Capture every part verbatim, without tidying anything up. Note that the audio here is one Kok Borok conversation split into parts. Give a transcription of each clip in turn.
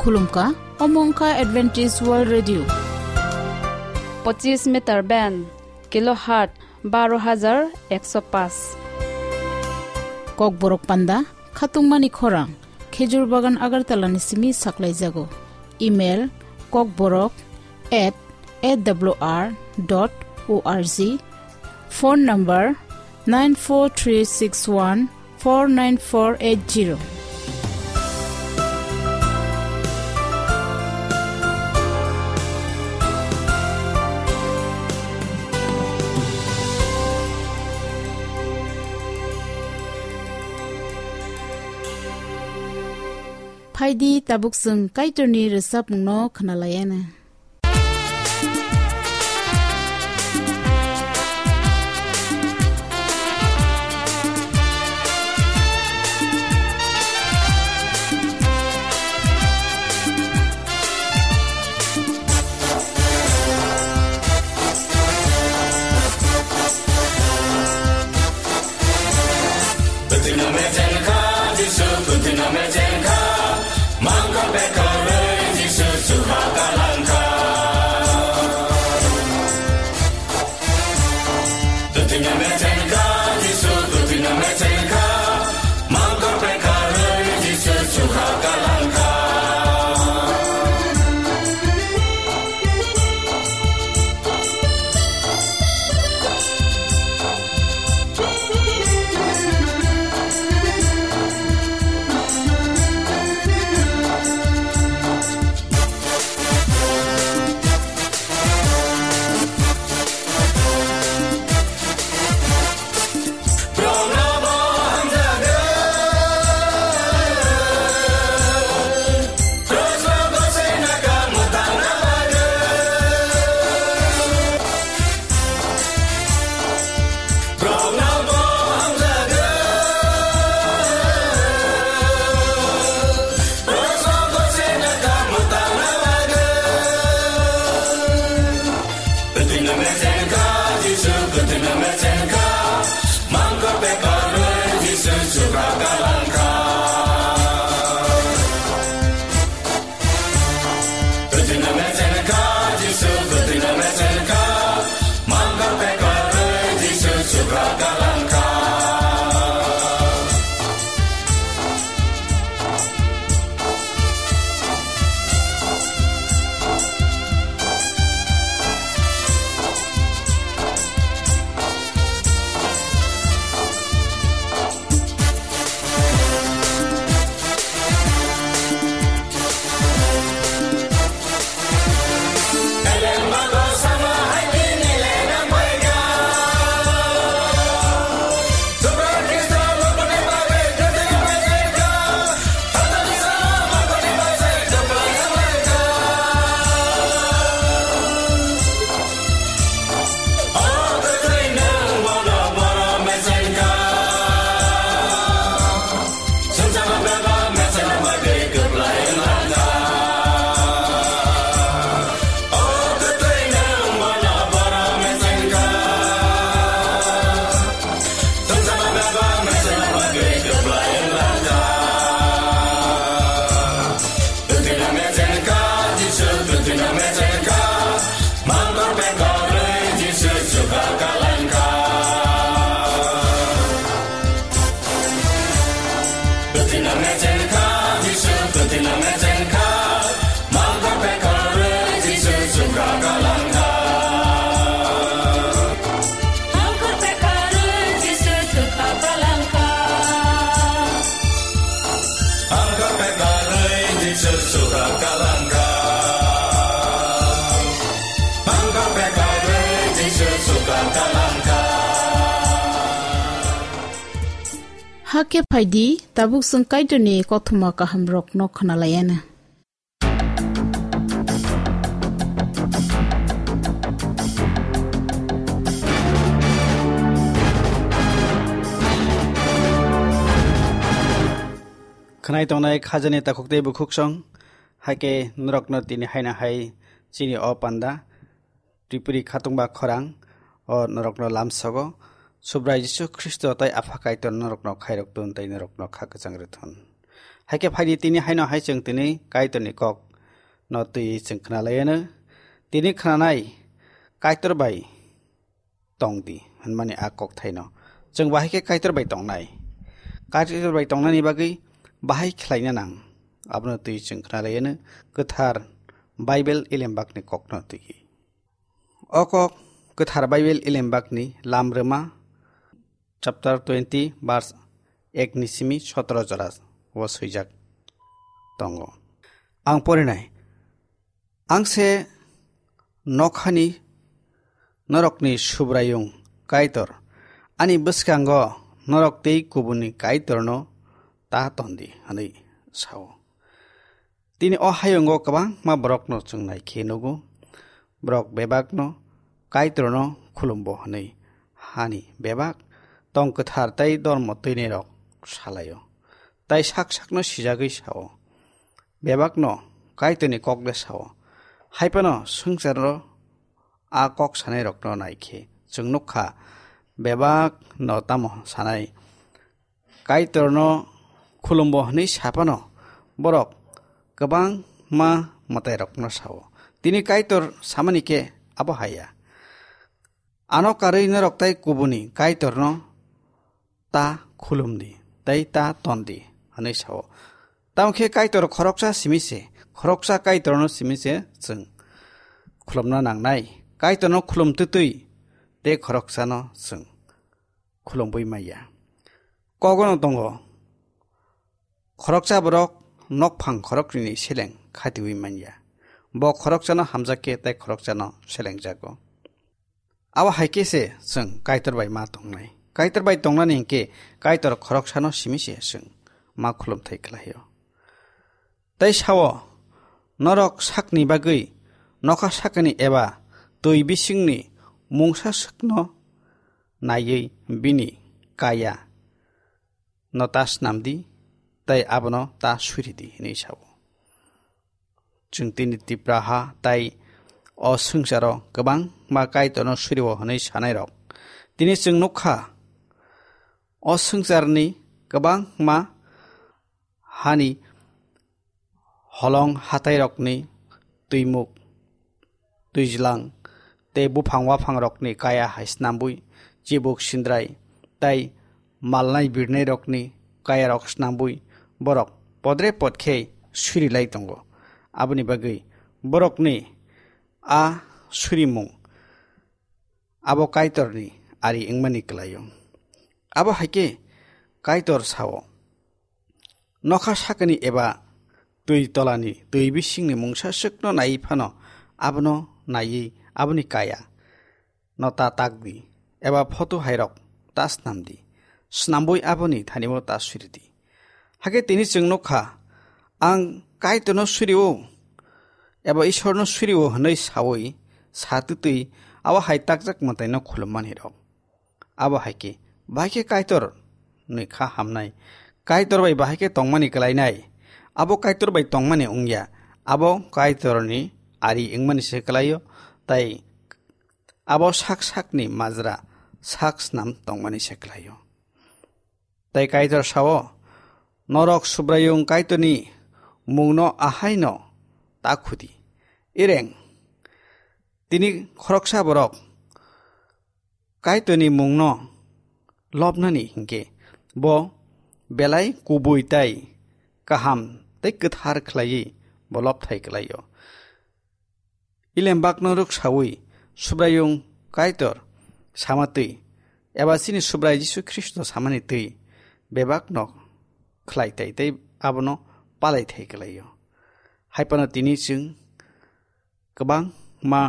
Khulumkha, omo wngkha Adventist World Radio. Pochis meter band, kilohertz baro hajar ekso paanch. Kokborok panda, khatungmani khorang, Khejur Bagan Agartala ni simi saklaijago. Email, kokborok at A W R dot O R G. Phone number, nine four three six one four nine four eight zero. Phaidi, tabuk chwng Kaitorni rwchapmungno khwnalaiana. Kutino mechen kha, Jisu kutino mechen kha, mangkok bekorwi Jisu chukha kalang kha. Kutino mechen kha, Jisu kutino mechen kha, mangkok bekorwi Jisu chukha kalang kha. Hakhe phaidi, tabuk chwng Kaitorni kothoma kahamrokno khwnalaiana. Khwnai tongnai khajani takhuk tei bukhuksong, hakhe norokno tini haino hai chini o panda, Tripuri khatungba khorang o norokno lamsogo. Subrai Jisu Khristo tei Apha Kaitor norokno khairok tun tei norokno kha kwchang rwthun. Haikhe phaidi tini haino hai chwng tini Kaitorni kok no twi chwng khna lai ano. Tini khnanai Kaitor bai tong di hwnmani a kok thaino. Chwng bahai khe Kaitor bai tongnai. Kaitor bai tongnani bagwi bahai khlaina nang. Abono twi chwng khna lai ano kwthar Bible Ilembakni kokno twi. O kok kwthar Bible Ilembakni Lamrwma chapter twenty verse ek ni simi sotoro jora o swijak tongo. Ang porinai, ang se nokhani norokni Subraiyung Kaitor, ani bwskango norok tei kubuni Kaitorno ta tondi, hwnwi sao. Tini o hayungo kwbangma borokno chwng naikhe nugo. Borok bebakno Kaitorno khulumbo hwnwi hani bebak tong kwthar tei dormo twinirok salaio. Tai sak sakno sijagwi sao. Bebakno Kaitorni kok de sao. Haiphano swngcharo a kok sanairokno naikhe chwng nukha, bebakno tamo sanai. Kaitorno khulumbo hwnwi saphano borok kwbangma mwtairokno sao. Tini Kaitor samani khe abo haya. Ano karwi norok tai kubuni Kaitorno ta khulumdi, tei ta tondi, hwnwi sao. Tamo khe Kaitor khoroksa simi se, khoroksa Kaitorno simi se chwng khulumna nangnai. Kaitorno khulum twtwi tei khoroksano chwng khulumwi manya. Kogono tongo, khoroksa borok nokphang khoroknwini seleng khatiwi manya. Bo khoroksano hamjak khe tei khoroksano selengjago. Abo hai khe se chwng Kaitor bai ma tongnai. Kaitor bai tongnani hinkhe Kaitor khoroksano simi se chwng ma khulumthai khlaio. Tei sao, norok sakni bagwi nokha sakani eba twi bisingni mungsa swkno naiwi bini kaya no ta snamdi, tei abono ta suridi, hwnwi sao. Chwng tini Tipraha tei o swngcharo kwbangma Kaitorno surio hwnwi sanairok. Tini chwng nukha, o swngcharni kwbangma hani holong hatairokni twimuk, twijlang tei buphang waphangrokni kaya hai snambui, chibuk sindrai tei malnai birnairokni kayarok snambui borok podre pod khe suri lai tongo. Aboni bagwi borokni a surimung abo Kaitorni ari wngmani kwlaio. Abo hai khe Kaitor sao, nokha sakani eba twi tolani twi bisingni mungsa swkno naiwi phano abono naiwi aboni kaya no ta takdi, eba photo hairok ta snamdi, snambui aboni thanio ta suridi. Hakhe tini chwng nukha, ang Kaitorno surio eba Ishwarno surio hwnwi saui sa twtwi abo hai takjak mwtaino khulummanirok. Abo hai khe, bahai khe Kaitor ni kha hamnai. Kaitor bai bahai khe tongmani kwlainai. Abo Kaitor bai tongmani wngya. Abo Kaitor ni ari wngmani se kwlaio. Tai abo sak sak ni majra sak snam tongmani se kwlaio. Tai Kaitor sao, norok Subraiyung Kaitor ni mungno ahai no ta khudi. Ireng, tini khoroksa borok Kaitorni mungno lobnani hinkhe bo belai kubui tai kaham tei kwthar khlaiwi bo lobthai khlaio. Ilembakno rwksaui Subraiyung Kaitor samatwi eba chini Subrai Jisu Khristo samani twi bebakno khlai tai tei abono palai thai khlaio. Hai phano tini chwng kwbangma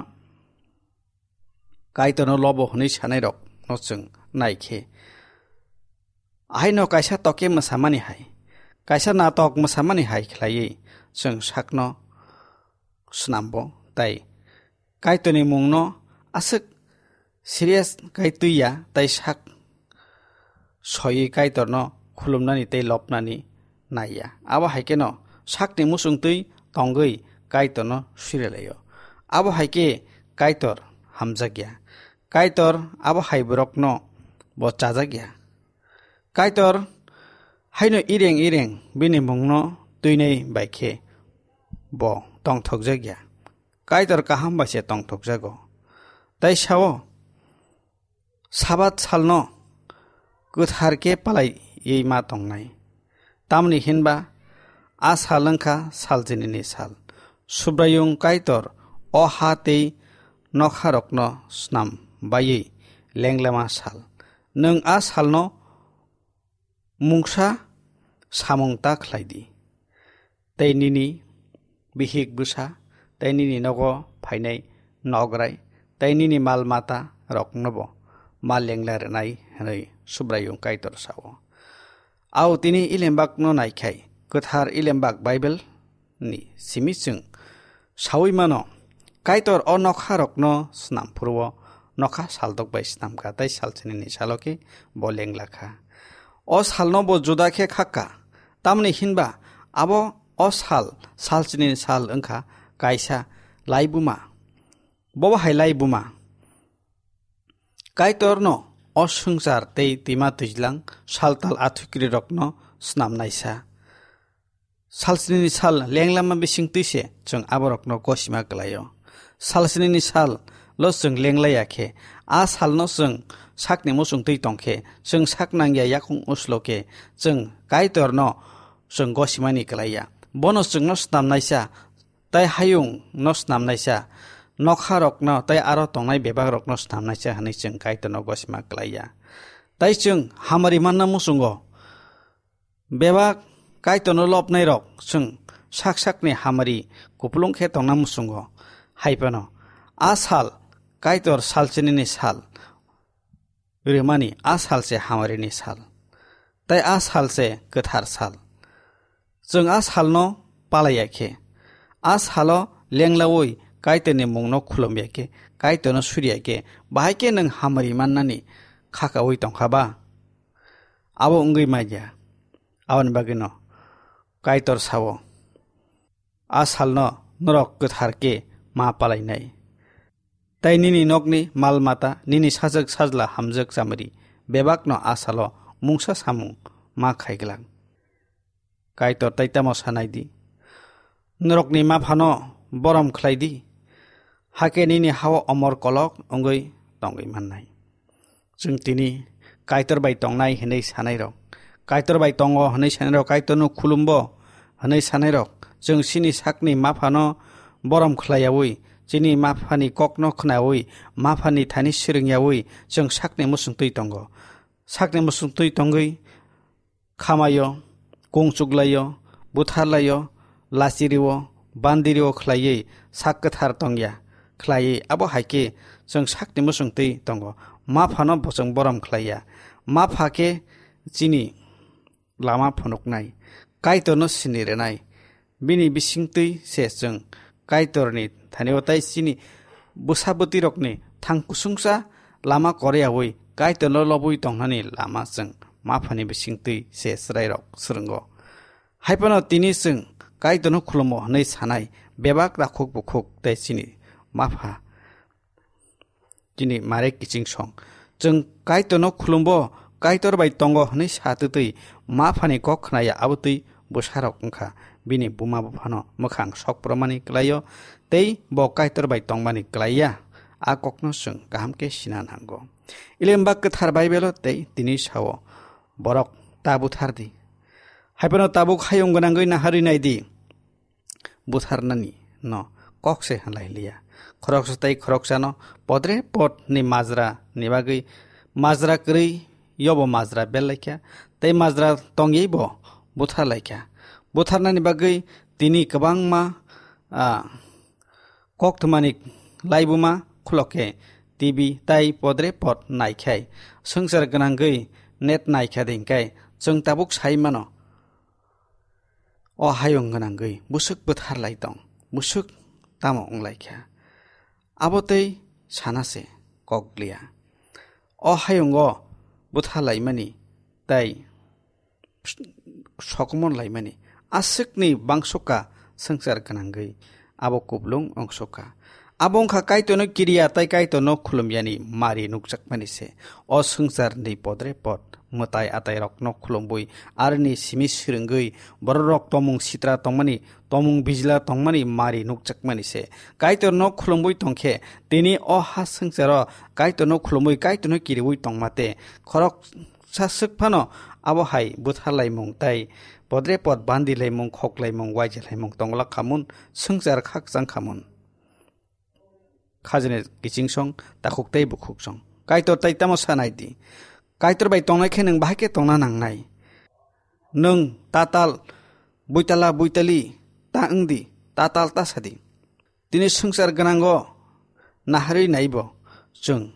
Kaitorno lobo hwnwi sanairokno chwng nai khe, ahaino kaisa toke mwsamani hai, kaisa natok mwsamani hai khlaiwi chwng sakno snambo, tai Kaitorni mungno aswk serious kai twiya, tai sak soiwi Kaitorno khulumnani tei lobnani naiya. Abo hai kheno sakni muchungtwi tongwi Kaitorno surilaio. Abo hai khe Kaitor hamjakya. Kaitor abo hai borokno bo chajakya. Kaitor Haino ireng ireng bini mungno twinai bai khe bo tongthokjak ya. Kaitor kaham bai se tongthokjago. Tai sao, Sabat salno kwthar khe palaiwi ma tongnai. Tamni hinba a sal wngkha salchinini sal. Subraiyung Kaitor o ha tei nokharokno snam baiwi lenglama sal. Nwng a salno mungsa samung ta khlai di, tei nini bihik bwsa, tei nini nogo phainai nograi, tei nini mal mata roknobo ma lengla rwnai, hwnwi Subraiyung Kaitor sao. Au tini Ilembakno naikhai, kwthar Ilembak Bible ni simi chwng saui mano, Kaitor o nokha rokno snam phuru o nokha saldok bai snam kha, tei salchinini salo khe bo lengla kha. O salno bo juda khe khakka, tamni hinba abo o sal, salchinini sal wngkha kaisa laibuma. Bobo hai laibuma. Kaitorno o swngchar tei twima twijlang saltal athukiri rokno snamnaisa. Salchinini sal lenglama bisingtwi se chwng aborokno gosima kwlaio. Salchinini sal lo chwng lenglaiya khe, a salno chwng sakni muchungtwi tongkhe, chwng sak nangya yakung uslo khe, chwng Kaitorno chwng gosimani kwlaiya. Bono chwngno snamnaisa, tai hayungno snamnaisa, nokharokno tai aro tongnai bebagrokno snamnaisa hwnwi chwng Kaitorno gosima kwlaiya. Tai chwng hamari manna muchungo. Bebak Kaitorno lobnairok chwng sak sakni hamari kupulung khe tongna muchungo. Hai phano a sal Kaitor salchinini sal rwmani a sal se hamarini sal, tei a sal se kwthar sal. Chwng a salno palaiya khe, a salo lenglaui Kaitorni mungno khulumya khe, Kaitorno suriya khe, bahai khe nwng hamari mannani khakaui tongkha ba? Abo wngwi manya. Aboni bagwino Kaitor sao, a salno norok kwthar khe ma palainai. Tai nini nokni mal mata, nini sajwk sajla hamjwk chamari, bebakno a salo mungsa samung ma khaiglak. Kaitor tai tamo sanai di? Norokni maphano borom khlai di, hakhe nini hao omor kolok wngwi tongwi mannai. Chwng tini Kaitor bai tongnai hwnwi sanairok, Kaitor bai tongo hwnwi sanairok, Kaitorno khulumbo hwnwi sanairok, chwng chini sakni maphano borom khlaiyaui, chini maphani kokno khnaui, maphani thani swrwngyaui chwng sakni muchungtwi tongo. Sakni muchungtwi tongwi khamaio, kung chuklaio, butharlaio, lachirio, bandirio khlaiwi sak kwthar tongya khlaiwi, abo hai khe chwng sakni muchungtwi tongo. Maphano bo chwng borom khlaiya. Mapha khe chini lama phunuknai, Kaitorno sini rwnai. Bini bisingtwi se chwng Kaitorni thani-o tai chini bwsa bwtwirokni thang kusungsa lama koreyaui Kaitorno lobwi tongnani lama chwng maphani bisingtwi se chwrairok swrwngo. Hai phano tini chwng Kaitorno khulumo hwnwi sanai bebak rakhuk bukhuk tei chini mapha chini mare kiching song. Chwng Kaitorno khulumbo, Kaitor bai tongo hwnwi sa twtwi maphani kok khnaya, abotwi bwsarok wngkha. Bini buma buphano mwkhang sok phurumani kwlaio, tei bo Kaitor bai tongmani kwlaiya. A kokno chwng kaham khe sina nango. Ilembak kwthar Baibelo tei tini sao, borok ta buthar di. Hai phano tabuk hayung gwnangwi naharwi nai di. Butharnani no kok se halai liya. Khoroksa tei khoroksano podre pod ni majra ni bagwi majra kwrwi yobo majra bel laikha tei majra tongwi bo buthar laikha. Butharnani bagwi tini kwbangma, ah, koktwmani laibuma khulokke T V tai podre pod naikhai swngchar gwnangwi net naikha dingkai chwng tabuk sai mano. O hayung gwnangwi bwswk bwthar lai tong, bwswk tamo wng lai kha? Abo tei sana se kok liya. O hayungo bwtha laimani tei sokomon laimani aswkni bangsoka swngchar gwnangwi abo kuplung wngsoka. Abo wngkha Kaitorno kiriya tei Kaitorno khulumyani mari nukjakmani se. O swngcharni podre pod mwtai atairokno khulumwi, arini simi swrwngwi, bororok tomung sitra tongmani, tomung bijla tongmani mari nukjakmani se. Kaitorno khulumwi tongkhe, tini o ha swngcharo Kaitorno khulumwi, Kaitorno kiriwi tongma te khoroksa swk phano abo hai butharlaimung tai podre pod bandilaimung, khoklaimung, waijalaimung tonglak khamun, swngchar khakchang khamun. Khajani kiching song, takhuk tei bukhuk song. Kaitor tai tamo sanai di. Kaitor bai tongnai khe nwng bahai khe tongna nangnai. Nwng tatal, buitala, buitali ta wng di, tatal ta sa di. Tini swngchar gwnango naharwi naibo chwng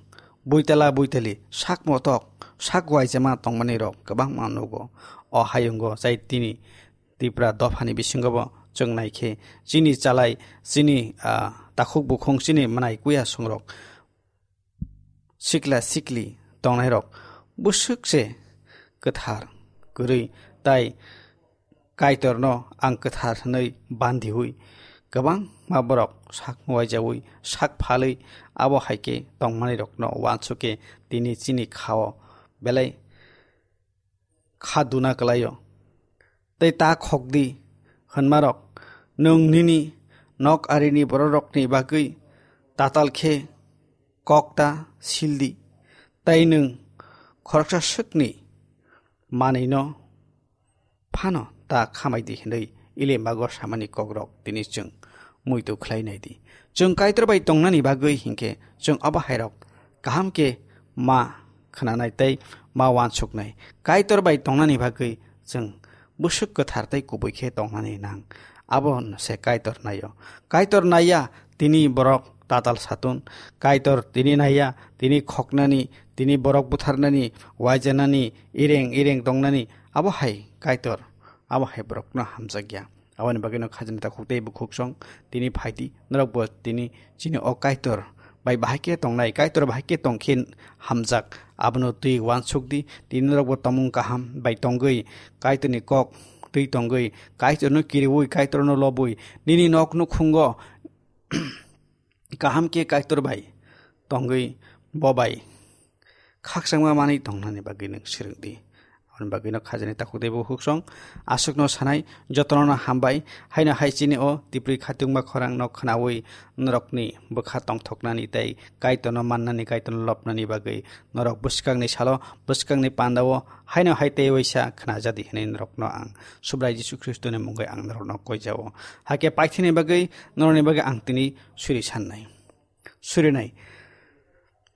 buitala, buitali, sak motok, sak waijama tongmani rok kwbangma nugo. O hayungo chai tini Tipra dophani bisingo bo chwng naikhe chini chalai, chini, ah, takhuk bukhung, chini mwnai kuya songrok, sikla sikli tongnairok bwswk se kwthar kwrwi tai Kaitorno ang kwthar hwnwi bandiwi kwbangma borok sak muwaijawi sak phalwi abo hai khe tongmanirokno uansukhe tini chini khao belai kha duna kwlaio. Tei ta khok di hwnmarok, nwng nini nok arini bororokni bagwi tatal khe kok ta sil di, tei nwng khoroksa swkni manwino phano ta khamai di hwnwi Ilimbago samani kokrok tini chwng muitu khlai nai di. Chwng Kaitor bai tongnani bagwi hinkhe chwng abo hairok kaham khe ma khwnanai tei ma uansuknai. Kaitor bai tongnani bagwi chwng bwswk kwthar tei kubui khe tongnani nang. Abo se Kaitor naio. Kaitor naiya tini borok tatal satun. Kaitor tini naiya, tini khoknani, tini borok butharnani, waijanani, ireng ireng tongnani. Abo hai Kaitor, abo hai borokno hamjakya. Aboni bagwino khajani takhuk tei bukhuk song tini phaidi, norokbo tini chini o Kaitor bai bahai khe tongnai, Kaitor bahai khe tongkhe hamjak, abono twi uansuk di. Tini norokbo tomung kaham bai tongwi, Kaitorni kok twi tongwi, Kaitorno kiriwi, Kaitorno lobwi, nini nok nukhungo kaham khe Kaitor bai tongwi bo bai khakchangma manwi tongnani bagwi nwng swrwng di. Aboni bagwino khajani takhuk tei bukhuk song aswkno sanai, jotono hambai. Haino hai chini o Tipri khatungma khorang no khwnawi norokni bwkha tongthoknani tei Kaitorno mannani, Kaitorno lobnani bagwi norok bwskangni salo, bwskangni pandao haino hai tei waisa khwnajadi hwnwi norokno ang Subrai Jisu Khristoni mungwi ang norokno koijao. Hakhe paithini bagwi, norokni bagwi ang tini suri sannai. Surinai.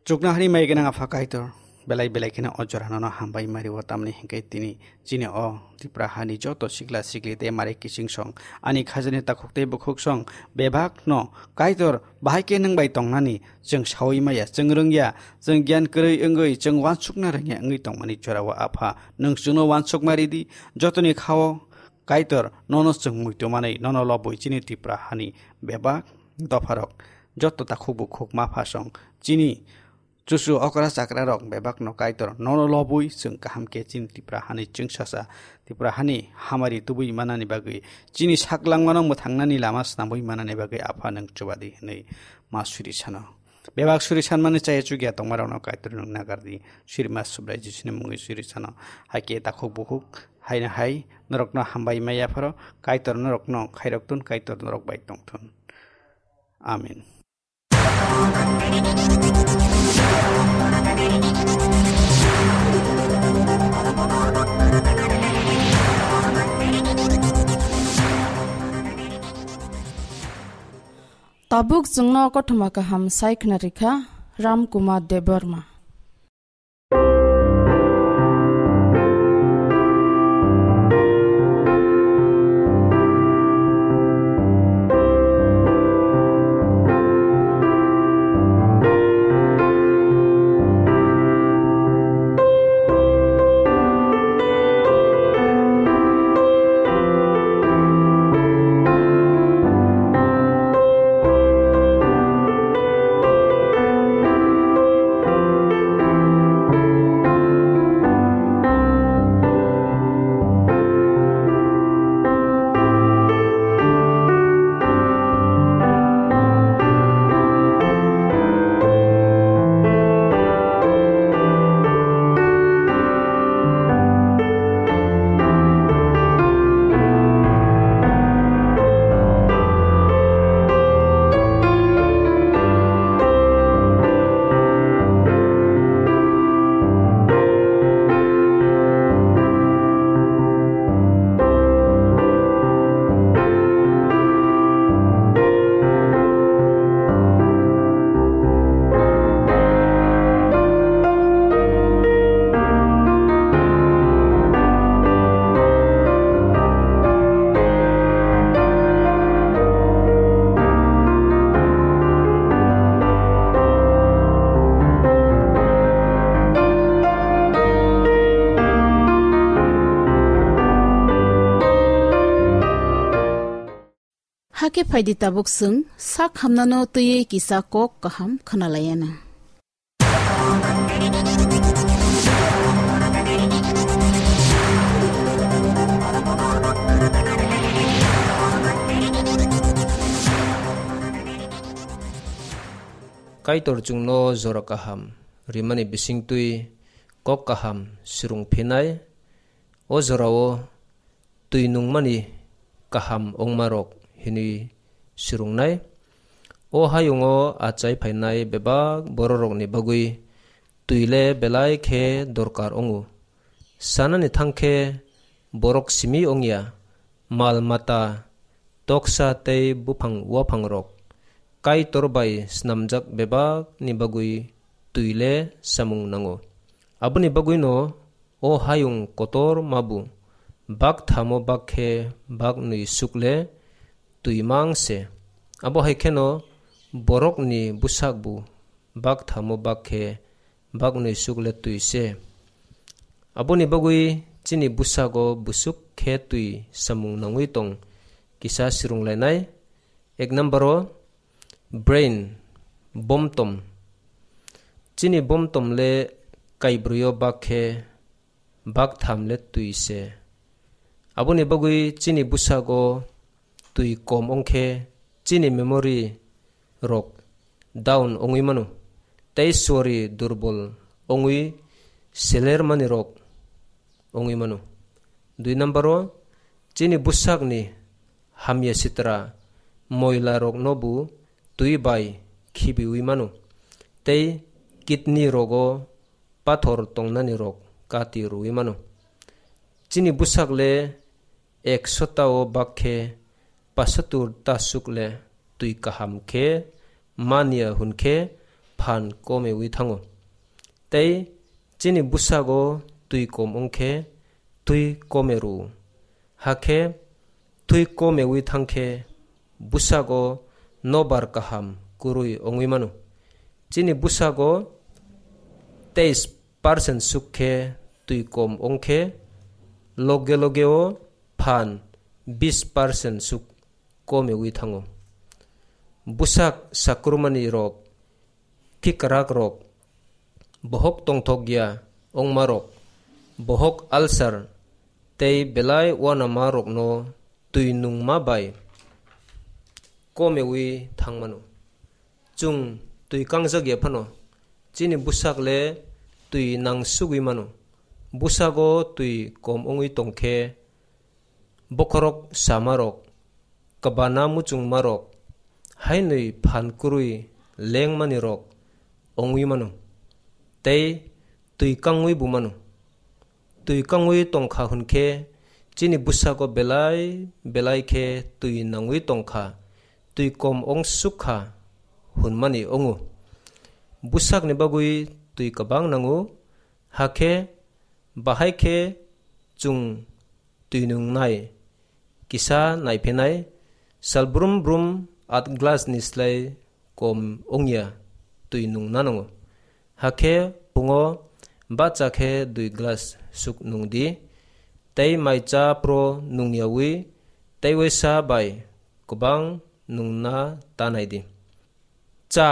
Chuknohani mai gwnang Apha Kaitor, belai belai kheno o jora nono hambai mari o, tamni hinkhe tini chini o Tipra hani joto sikla sikli tei mari kiching song, ani khajani takhuk tei bukhuk song, bebak no Kaitor bahai khe nwng bai tongnani chwng saui maya, chwng rwngya, chwng gyan kwrwi wngwi, chwng uansukna rwngya wngwi tongmani jora o Apha, nwng chwngno uansukma ridi, jotoni khao Kaitor nono chwng muitu manwi, nono lobwi chini Tipra hani bebak dopharok, joto takhuk bukhuk mapha song, chini chuchu okra chakra rok bebak no Kaitor nono lobwi chwng kaham khe chini Tipra hani chwngsacha, Tipra hani hamari tubui manani bagwi, chini sak langmano mwthangnani lama snamwi manani bagwi Apha nwng chubadi hwnwi ma suri sano. Bebak suri sanmani chaya chukya tongmarokno Kaitor nwng nagardi, suri ma Subrai Jisuni mungwi suri sano. Hakhe takhuk bukhuk haino hai norokno hambai maya pharo Kaitor norokno khairok tun, Kaitor norok bai tongthun. Amen. Tabuk chwngno kothoma kaham sai khna rikha Ram Kumar Debbarma. Hakhe phaidi tabuk chwng sak hamnano twiwi kisa kok kaham khwnalaiyana. Kaitor chwngno jora kaham rimani bisingtwi kok kaham swrwng phinai. O jorao twi nungmani kaham wngmarok hinwi swrwngnai. O hayungo achai phainai bebak bororokni bagwi twi le belai khe dorkar wngo. Sanani thang khe borok simi wngya, mal mata, toksa tei buphang uaphangrok Kaitor bai snamjak bebakni bagwi twi le samung nango. Aboni bagwino o hayung kotor mabu bak thamo bak khe bak nwi suk le twi mang se. Abo hai kheno borokni bwsakbu bak thamo bak khe bak nwi suk le twi se. Aboni bagwi chini bwsago bwswk khe twi samung nangwi tong kisa swrwnglainai. Ek number o brain, bomtom. Chini bomtom le kaibrwi o bak khe bak tham le twi se. Aboni bagwi chini bwsago twi kom wng khe chini memory rok down wngwi mano, tei suari durbol wngwi seler mani rok wngwi mano. Dui number o, chini bwsakni hamya sitra moila rokno bo twi bai khibiwi mano, tei kidney rogo pathor tongnani rok kati rwwi mano. Chini bwsak le ek sota o bak khe pasatur ta suk le twi kaham khe manya hwn khe phan komewi thango. Tei chini bwsago twi kom wng khe twi kome rw-o. Hakhe twi komewi thang khe bwsago nobar kaham kwrwi wngwi mano. Chini bwsago teis percent suk khe twi kom wng khe loge loge o phan bis percent suk komewi thango. Bwsak sakrumani rok, khikrak rok, bohok tongthok ya wngma rok, bohok ulcer tei belai uanama rokno twi nungma bai komewi thangmano. Chwng twi kangjak ya phano, chini bwsak le twi nangsugwi mano. Bwsago twi kom wngwi tong khe bokhorok sama rok, kwbana muchungma rok, hainwi phan kwrwi lengmani rok wngwi mano, tei twi kangwi bo mano. Twi kangwi tongkha hwn khe chini bwsago belai belai khe twi nangwi tongkha, twi kom wng suk kha hwnmani wngo. Bwsakni bagwi twi kwbang nango, hakhe bahai khe chwng twi nungnai kisa naiphinai, sal brum brum at glass ni slai kom wngya twi nungna nango. Hakhe phungo bacha khe dui glass suk nungdi, tei mai cha phro nungyawi tei waisa bai kwbang nungna ta naidi. Cha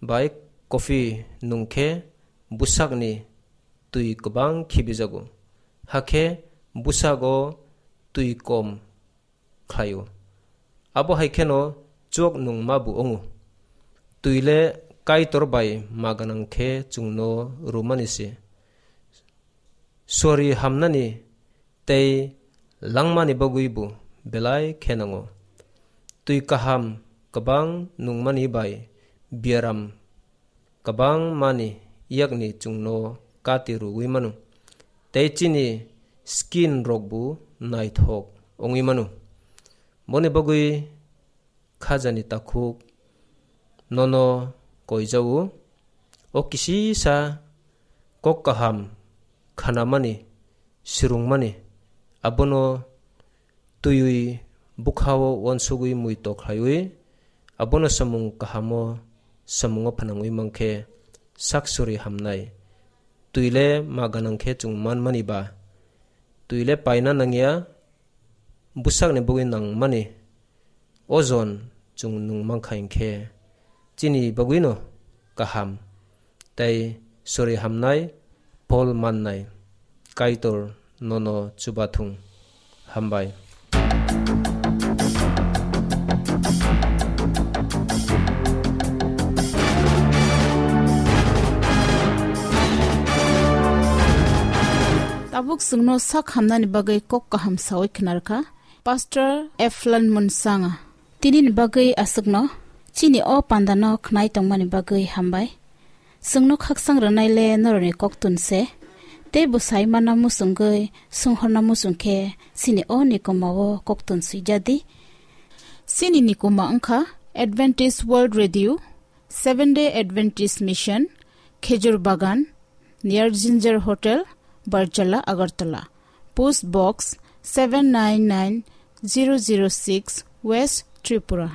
bai coffee nung khe bwsakni twi kwbang khibijago, hakhe bwsago twi kom khlaio. Abo hai kheno chuak nungma bo wngo. Twi le Kaitor bai ma gwnang khe chwngno rwmani se. Suari hamnani tei langmani bagwi bo belai khe nango. Twi kaham kwbang nungmani bai biaram kwbangmani yakni chwngno kati rwui mano, tei chini skin rok bo naithok wngwi mano. Boni bagwi khajani takhuk nono koijao, o kisisa kok kaham khanamani, swrwngmani, abono twiwi bwkhao uansugwi muitok khlaiwi, abono samung kahamo samungo phnangwi mankhe sak suri hamnai. Twi le ma gwnang khe chwng manmani ba? Twi le paina nangya, bwsakni bagwi nangmani. ojon chwng nung mankha hinkhe chini bagwino kaham tei sori hamnai phol mannai. Kaitor nono chubathung. Hambai. Tabuk chwngno sak hamnani bagwi kok kaham sawi khwnarkha Pastor Eflan Munsanga. Tinini bagwi aswkno chini o pandano khwnai tongmani bagwi hambai. Chwngno khaksang rwnaile norokni koktun se, tei bwsai mana muchungwi swnghorna muchung khe chini o nikoma o koktun swijadi. Chini nikoma wngkha Adventist World Radio, Seventh Day Adventist Mission, Khejur Bagan, near Ginger Hotel, Barjala, Agartala. Post Box seven nine nine zero zero six, West Tripura.